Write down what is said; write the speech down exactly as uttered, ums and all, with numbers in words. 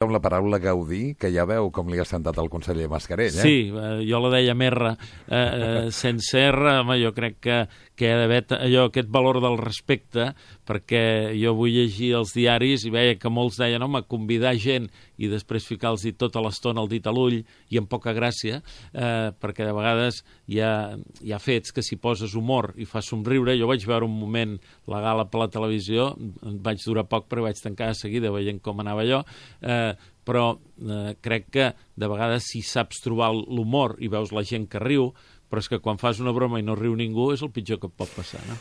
amb la paraula gaudir, que ja veu com li ha sentat el conseller Mascarell, eh? Sí, eh, jo la deia amb R. Eh, eh, sense R, home, jo crec que, que hi ha d'haver allò, aquest valor del respecte, perquè jo vull llegir els diaris i veia que molts deien, home, convidar gent i després ficar-los tota l'estona el dit a l'ull i amb poca gràcia, eh, perquè de vegades hi ha, hi ha fets que si poses humor i fas somriure, jo vaig veure un moment la gala per la televisió, vaig durar poc però vaig tancar de seguida veient com anava allò, eh, però eh, crec que de vegades si saps trobar l'humor i veus la gent que riu, però és que quan fas una broma i no riu ningú és el pitjor que et pot passar, no?